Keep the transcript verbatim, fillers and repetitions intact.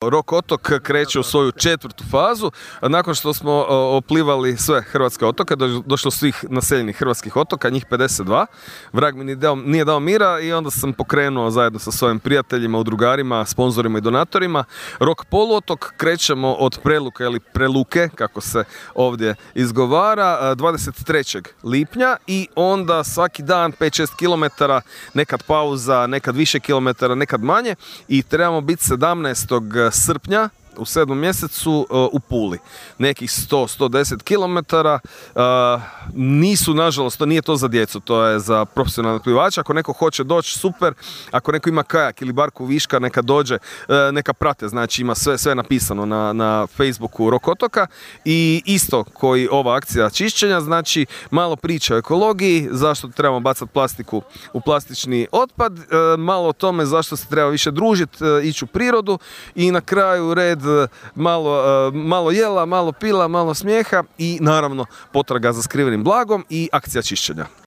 Rok otok kreće u svoju četvrtu fazu. Nakon što smo oplivali sve hrvatske otoke, došlo svih naseljenih hrvatskih otoka, njih pedeset dva. Vrag mi nije dao, nije dao mira i onda sam pokrenuo zajedno sa svojim prijateljima, udrugarima, sponzorima i donatorima Rok poluotok. Krećemo od Preluke ili Preluke, kako se ovdje izgovara, dvadeset trećeg lipnja i onda svaki dan pet šest kilometara, nekad pauza, nekad više kilometara, nekad manje i trebamo biti sedamnaestog srpnja u sedmom mjesecu uh, u Puli. Nekih sto do sto deset kilometara. Uh, nisu, nažalost, to nije to za djecu, to je za profesionalne plivače. Ako neko hoće doći, super. Ako neko ima kajak ili barku viška, neka dođe, uh, neka prate. Znači ima sve, sve napisano na, na Facebooku Rok otoka. I isto koji ova akcija čišćenja, znači malo priča o ekologiji, zašto trebamo bacati plastiku u plastični otpad, uh, malo o tome zašto se treba više družiti, uh, ići u prirodu i na kraju red malo, malo jela, malo pila, malo smijeha i naravno potraga za skrivenim blagom i akcija čišćenja.